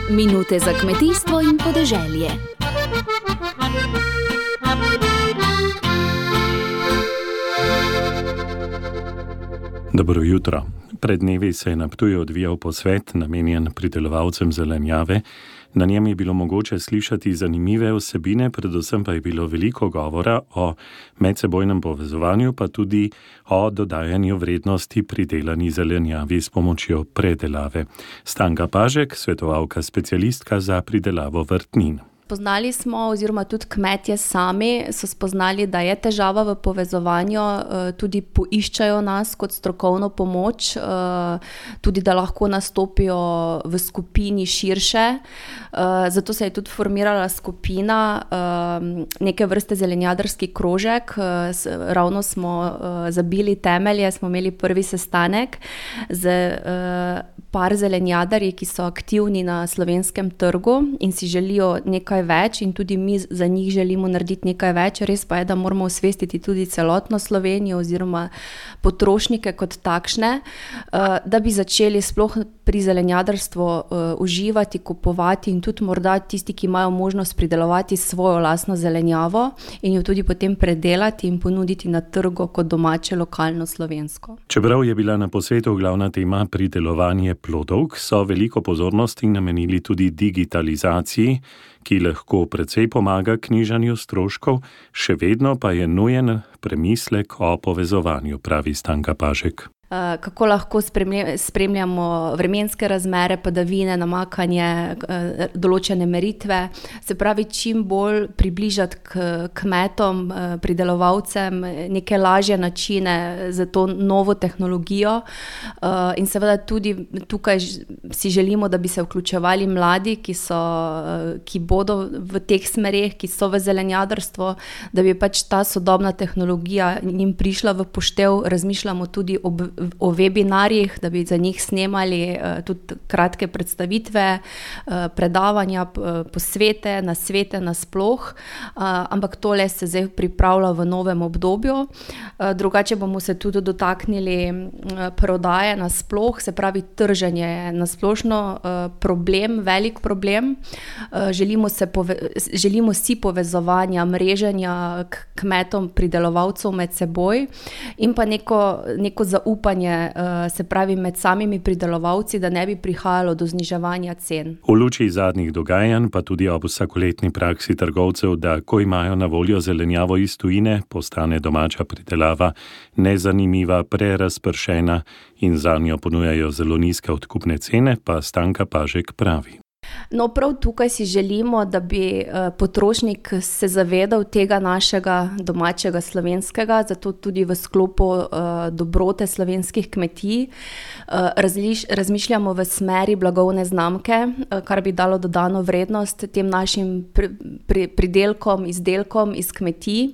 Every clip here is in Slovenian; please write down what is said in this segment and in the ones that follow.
Minute za kmetijstvo in podeželje. Dobro jutro. Pred dnevi se je na Ptuju odvijal posvet, namenjen pridelovalcem zelenjave. Na njem je bilo mogoče slišati zanimive vsebine, predvsem pa je bilo veliko govora o medsebojnem povezovanju, pa tudi o dodajanju vrednosti pridelani zelenjavi s pomočjo predelave. Stanka Pažek, svetovalka specialistka za pridelavo vrtnin. Spoznali smo, oziroma tudi kmetje sami so spoznali, da je težava v povezovanju, tudi poiščajo nas kot strokovno pomoč, tudi da lahko nastopijo v skupini širše. Zato se je tudi formirala skupina, neke vrste zelenjadarski krožek. Ravno smo zabili temelje, smo imeli prvi sestanek z par zelenjadarji, ki so aktivni na slovenskem trgu in si želijo nekaj več, in tudi mi za njih želimo narediti nekaj več. Res pa je, da moramo osvestiti tudi celotno Slovenijo oziroma potrošnike kot takšne, da bi začeli sploh pri zelenjadarstvu uživati, kupovati in tudi morda tisti, ki imajo možnost pridelovati svojo lastno zelenjavo in jo tudi potem predelati in ponuditi na trgu kot domače, lokalno, slovensko. Čeprav je bila na posvetu glavna tema pridelovanje plodov, so veliko pozornosti namenili tudi digitalizaciji, ki lahko precej pomaga k nižanju stroškov, še vedno pa je nujen premislek o povezovanju, pravi Stanka Pažek. Kako lahko spremljamo vremenske razmere, padavine, namakanje, določene meritve, se pravi čim bolj približati k kmetom, pridelovalcem neke lažje načine za to novo tehnologijo. In seveda tudi tukaj si želimo, da bi se vključevali mladi, ki bodo v teh smereh, ki so v zelenjadarstvo, da bi pač ta sodobna tehnologija njim prišla v poštev. Razmišljamo tudi o webinarjih, da bi za njih snemali tudi kratke predstavitve, predavanja, posvete, nasvete nasploh, ampak tole se zdaj pripravlja v novem obdobju. Drugače bomo se tudi dotaknili prodaje nasploh, se pravi trženje nasplošno problem, velik problem. Želimo si povezovanja, mreženja k kmetom, pridelovalcev med seboj in pa neko zaupanje, se pravi med samimi pridelovalci, da ne bi prihajalo do zniževanja cen. V luči zadnjih dogajanj, pa tudi ob vsakoletni praksi trgovcev, da ko imajo na voljo zelenjavo iz tujine, postane domača pridelava nezanimiva, prerazpršena in zanjo ponujajo zelo nizke odkupne cene, pa Stanka Pažek pravi. No, prav tukaj si želimo, da bi potrošnik se zavedal tega našega domačega slovenskega, zato tudi v sklopu dobrote slovenskih kmetij razmišljamo v smeri blagovne znamke, kar bi dalo dodano vrednost tem našim pridelkom, izdelkom iz kmetij,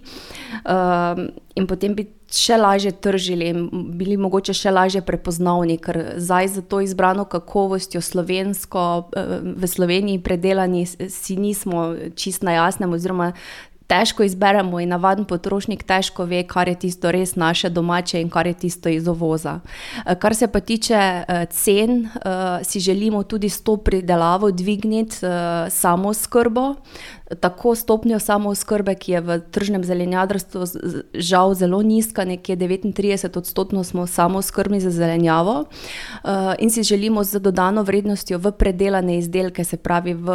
in potem bi še lažje tržili in bili mogoče še lažje prepoznavni, ker zdaj za to izbrano kakovostjo slovensko v Sloveniji predelani si nismo čisto na jasnem, oziroma težko izberemo in navaden potrošnik težko ve, kar je tisto res naše domače in kar je tisto iz uvoza. Kar se pa tiče cen, si želimo tudi s to pridelavo dvigniti samooskrbo, tako stopnjo samooskrbe, ki je v tržnem zelenjadarstvu žal zelo nizka, nekje 39% smo samooskrbni za zelenjavo, in si želimo z dodano vrednostjo v predelane izdelke, se pravi v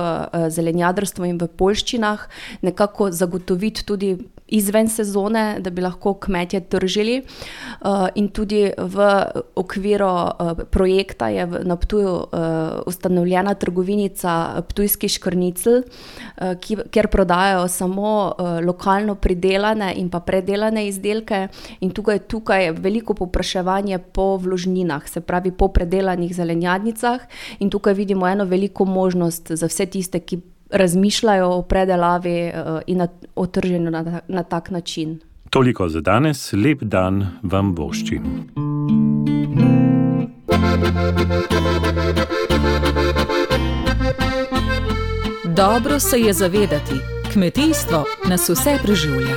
zelenjadarstvu in v poljščinah, nekako zagotoviti tudi izven sezone, da bi lahko kmetje tržili, in tudi v okviru projekta je na Ptuju ustanovljena trgovinica Ptujski škrnicl, kjer prodajajo samo lokalno pridelane in pa predelane izdelke, in tukaj je veliko povpraševanje po vložninah, se pravi po predelanih zelenjadnicah, in tukaj vidimo eno veliko možnost za vse tiste, ki razmišljajo o predelavi in o trženju na tak način. Toliko za danes, lep dan vam voščim. Dobro se je zavedati, kmetijstvo nas vse preživlja.